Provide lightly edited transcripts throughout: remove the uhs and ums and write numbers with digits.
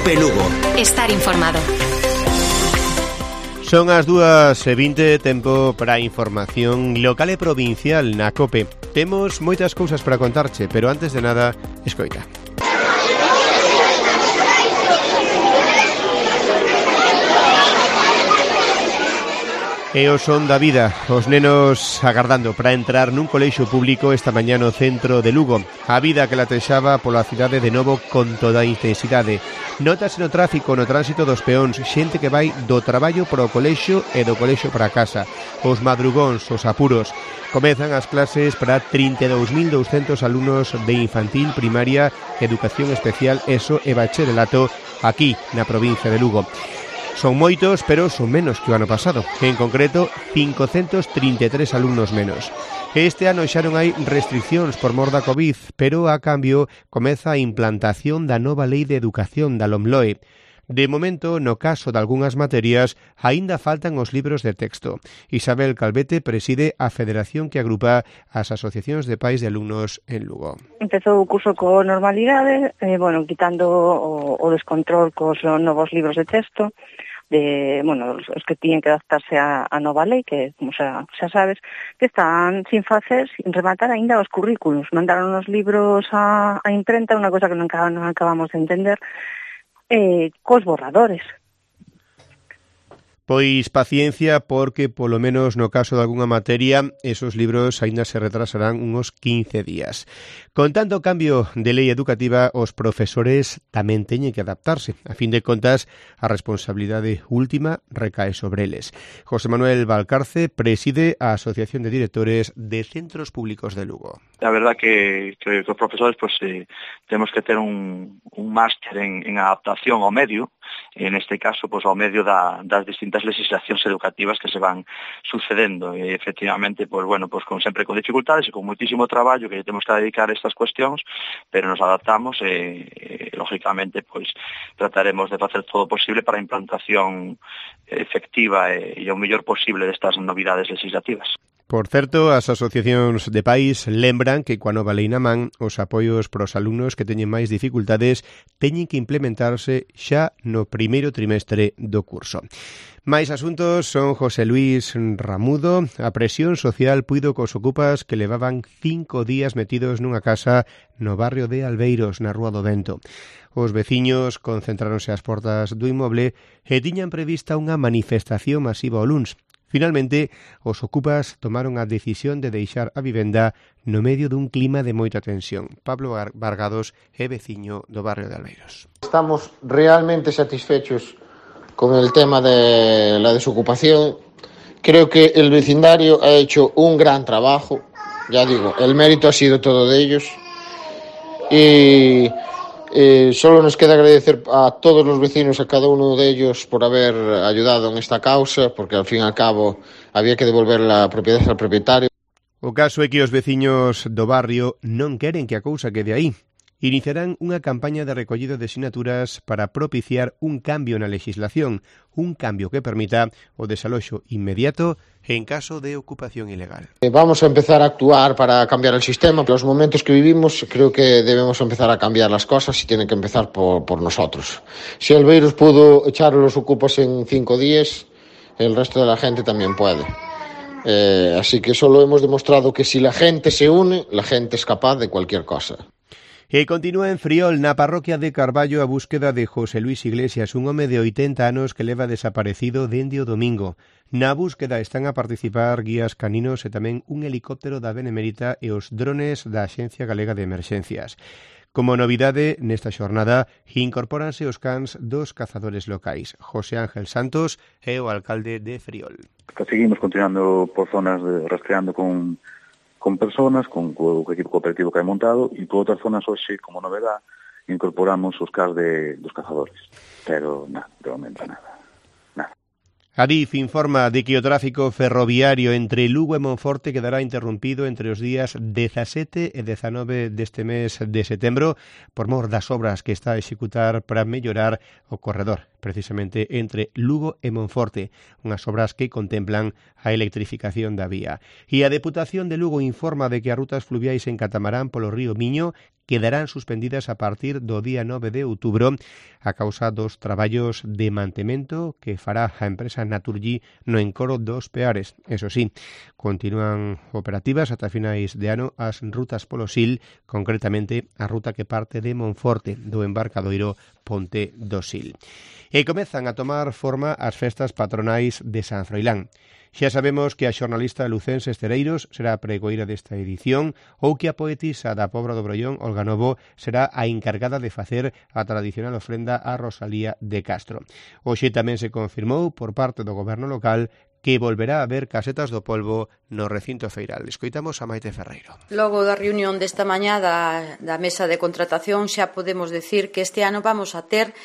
COPE Lugo. Estar informado. Son as 2:20, tempo para a información local e provincial na COPE. Temos moitas cousas para contarche, pero antes de nada, escoita. E o son da vida, os nenos agardando para entrar nun colexio público esta mañá no centro de Lugo. A vida que latexaba pola cidade de novo con toda a intensidade. Nótase no tráfico, no tránsito dos peóns, xente que vai do traballo para o colexio e do colexio para casa. Os madrugóns, os apuros. Comezan as clases para 32.200 alumnos de infantil, primaria, educación especial, ESO e bacharelato aquí na provincia de Lugo. Son moitos, pero son menos que o ano pasado. En concreto, 533 alumnos menos. Este ano xa non hai restriccións por mor da Covid, pero a cambio comeza a implantación da nova Lei de Educación da LOMLOE. De momento, no caso de algunhas materias, aínda faltan os libros de texto. Isabel Calvete preside a federación que agrupa as asociacións de pais de alumnos en Lugo. Empezou o curso co normalidade, quitando o descontrol cos novos libros de texto, os que tiñen que adaptarse a nova lei, que, como xa sabes, que están sin facer, sin rematar aínda os currículos. Mandaron os libros a imprenta, unha cosa que non acabamos de entender, cos borradores. Pois paciencia, porque polo menos no caso de algunha materia esos libros aínda se retrasarán uns 15 días. Con tanto cambio de lei educativa, os profesores tamén teñen que adaptarse. A fin de contas, a responsabilidade última recae sobre eles. José Manuel Valcarce preside a Asociación de Directores de Centros Públicos de Lugo. A verdad que os profesores temos que ter un máster en adaptación ao medio, en este caso ao medio das distintas legislacións educativas que se van sucedendo, e efectivamente sempre con dificultades e con moitísimo traballo que temos que dedicar a estas cuestións, pero nos adaptamos e lógicamente trataremos de facer todo o posible para a implantación efectiva e o mellor posible destas novidades legislativas. Por certo, as asociacións de pais lembran que coa nova lei na man, os apoios para os alumnos que teñen máis dificultades teñen que implementarse xa no primeiro trimestre do curso. Mais asuntos son José Luis Ramudo. A presión social puido cos ocupas que levaban 5 días metidos nunha casa no barrio de Albeiros, na Rúa do Vento. Os veciños concentráronse ás portas do inmoble e tiñan prevista unha manifestación masiva o luns. Finalmente, os ocupas tomaron a decisión de deixar a vivenda no medio dun clima de moita tensión. Pablo Vargados é veciño do barrio de Albeiros. Estamos realmente satisfechos con el tema de la desocupación. Creo que el vecindario ha hecho un gran trabajo. Ya digo, el mérito ha sido todo de ellos. Y solo nos queda agradecer a todos los vecinos, a cada uno de ellos, por haber ayudado en esta causa, porque al fin y al cabo había que devolver la propiedad al propietario. O caso é que os veciños do barrio non queren que a cousa quede aí. Iniciarán unha campaña de recollido de sinaturas para propiciar un cambio na legislación, un cambio que permita o desaloxo inmediato en caso de ocupación ilegal. Vamos a empezar a actuar para cambiar el sistema. Los momentos que vivimos creo que debemos empezar a cambiar las cosas y tienen que empezar por nosotros. Si Albeiros pudo echar los ocupas en 5 días, el resto de la gente también puede. Así que solo hemos demostrado que si la gente se une, la gente es capaz de cualquier cosa. E continúa en Friol, na parroquia de Carballo, a búsqueda de José Luis Iglesias, un home de 80 anos que leva desaparecido dende o domingo. Na búsqueda están a participar guías caninos e tamén un helicóptero da Benemérita e os drones da Axencia Galega de Emerxencias. Como novidade, nesta xornada, incorpóranse os cans dos cazadores locais. José Ángel Santos é o alcalde de Friol. Seguimos continuando por zonas rastreando con personas, con o equipo cooperativo que hai montado, e por outras zonas hoxe, como novedad, incorporamos os cars dos cazadores. Pero nada, de momento nada. Adif informa de que o tráfico ferroviario entre Lugo e Monforte quedará interrompido entre os días 17 e 19 deste mes de setembro por mor das obras que está a executar para mellorar o corredor precisamente entre Lugo e Monforte, unhas obras que contemplan a electrificación da vía. E a Deputación de Lugo informa de que as rutas fluviais en catamarán polo río Miño quedarán suspendidas a partir do día 9 de outubro a causa dos traballos de mantemento que fará a empresa Naturgy no encoro dos Peares. Eso sí, continúan operativas ata finais de ano as rutas polo Sil, concretamente a ruta que parte de Monforte, do embarcadoiro Ponte do Sil. E comezan a tomar forma as festas patronais de San Froilán. Xa sabemos que a xornalista lucense Estereiros será a pregoeira desta edición ou que a poetisa da Pobra do Brollón, Olga Novo, será a encargada de facer a tradicional ofrenda a Rosalía de Castro. Hoxe tamén se confirmou por parte do goberno local que volverá a haber casetas do polvo no recinto feiral. Escoitamos a Maite Ferreiro. Logo da reunión desta mañá da mesa de contratación xa podemos decir que este ano vamos a ter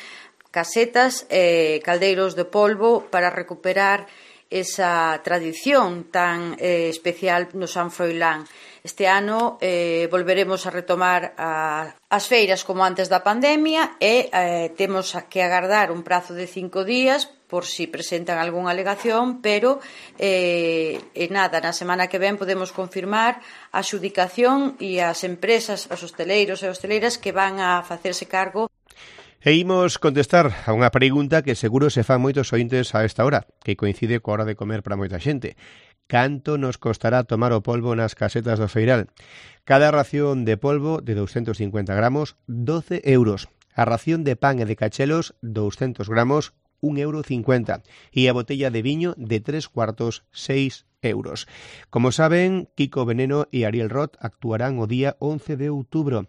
casetas e caldeiros de polvo para recuperar esa tradición tan especial no San Froilán. Este ano volveremos a retomar as feiras como antes da pandemia e temos que agardar un prazo de 5 días por si presentan algunha alegación, pero nada, na semana que ven podemos confirmar a adxudicación e as empresas, os hosteleiros e hosteleiras que van a facerse cargo. E imos contestar a unha pregunta que seguro se fan moitos ointes a esta hora, que coincide coa hora de comer para moita xente. Canto nos costará tomar o polvo nas casetas do feiral? Cada ración de polvo de 250 gramos, 12 euros. A ración de pan e de cachelos, 200 gramos, 1,50 €. E a botella de viño de 3 cuartos, 6 euros. Como saben, Kiko Veneno e Ariel Roth actuarán o día 11 de outubro.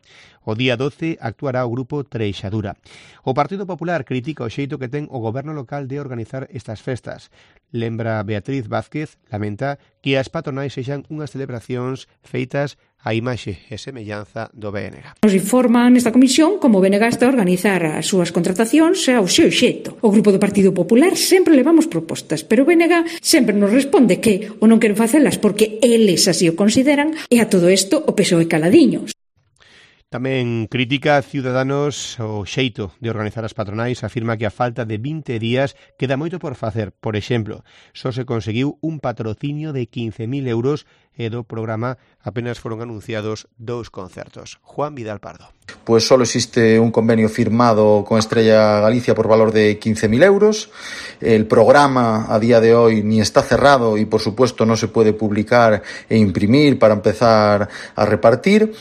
O día 12 actuará o grupo Treixadura. O Partido Popular critica o xeito que ten o goberno local de organizar estas festas. Lembra Beatriz Vázquez, lamenta que as patronais sexan unhas celebracións feitas a imaxe e semellanza do BNG. Nos informan nesta comisión como o BNG está a organizar as súas contratacións ao seu xeito. O grupo do Partido Popular sempre levamos propostas, pero o BNG sempre nos responde que ou non queren facelas porque eles así o consideran e a todo isto o PSOE caladiños. Tamén critica Ciudadanos o xeito de organizar as patronais, afirma que a falta de 20 días queda moito por facer. Por exemplo, só se conseguiu un patrocinio de 15.000 euros e do programa apenas foron anunciados 2 concertos. Juan Vidal Pardo. Pues solo existe un convenio firmado con Estrella Galicia por valor de 15.000 euros. El programa a día de hoy ni está cerrado y por supuesto no se puede publicar e imprimir para empezar a repartir.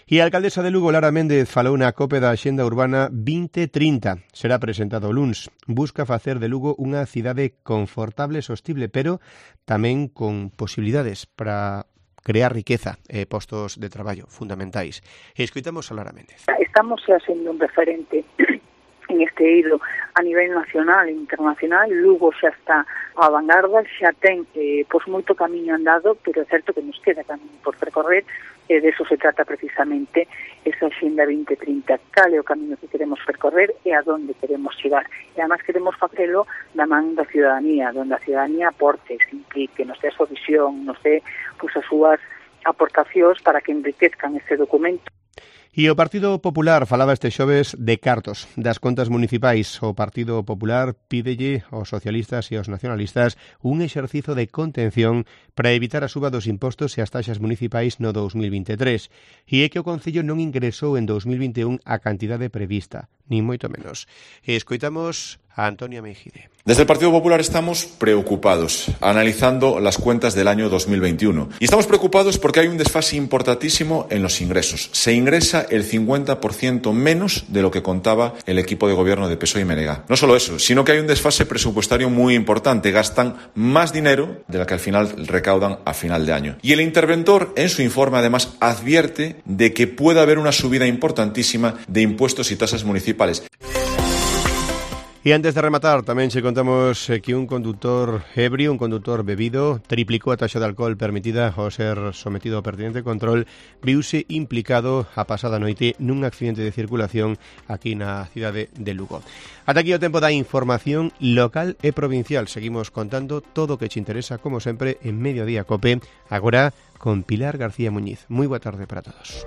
E a alcaldesa de Lugo, Lara Méndez, falou na COPE da Axenda Urbana 2030. Será presentado o luns. Busca facer de Lugo unha cidade confortable e sostible, pero tamén con posibilidades para crear riqueza e postos de traballo fundamentais. E escoitamos a Lara Méndez. Estamos sendo un referente en este eido a nivel nacional e internacional. Lugo xa está a vanguarda, xa ten moito camiño andado, pero é certo que nos queda camiño por percorrer. E de eso se trata precisamente esa Axenda 2030. Cal é o camiño que queremos percorrer e a donde queremos chegar. E además queremos facelo da man da ciudadanía, donde a ciudadanía aporte, se implique, nos dé a súa visión, nos dé as súas aportacións para que enriquezcan este documento. E o Partido Popular falaba este xoves de cartos das contas municipais. O Partido Popular pídelle aos socialistas e aos nacionalistas un exercizo de contención para evitar a suba dos impostos e as taxas municipais no 2023. E é que o Concello non ingresou en 2021 a cantidade prevista, ni moito menos. E escoitamos a Antonia Mejide. Desde el Partido Popular estamos preocupados, analizando las cuentas del año 2021. Y estamos preocupados porque hay un desfase importantísimo en los ingresos. Se ingresa el 50% menos de lo que contaba el equipo de gobierno de PSOE y Menega. No solo eso, sino que hay un desfase presupuestario muy importante. Gastan más dinero de lo que al final recaudan a final de año. Y el interventor, en su informe, además, advierte de que puede haber una subida importantísima de impuestos y tasas municipales. E antes de rematar, tamén che contamos que un conductor ebrio, un conductor bebido, triplicou a taxa de alcohol permitida ao ser sometido ao pertinente control, viuse implicado a pasada noite nun accidente de circulación aquí na cidade de Lugo. Ata aquí o tempo da información local e provincial. Seguimos contando todo o que che interesa, como sempre, en Mediodía Cope, agora con Pilar García Muñiz. Moi boa tarde para todos.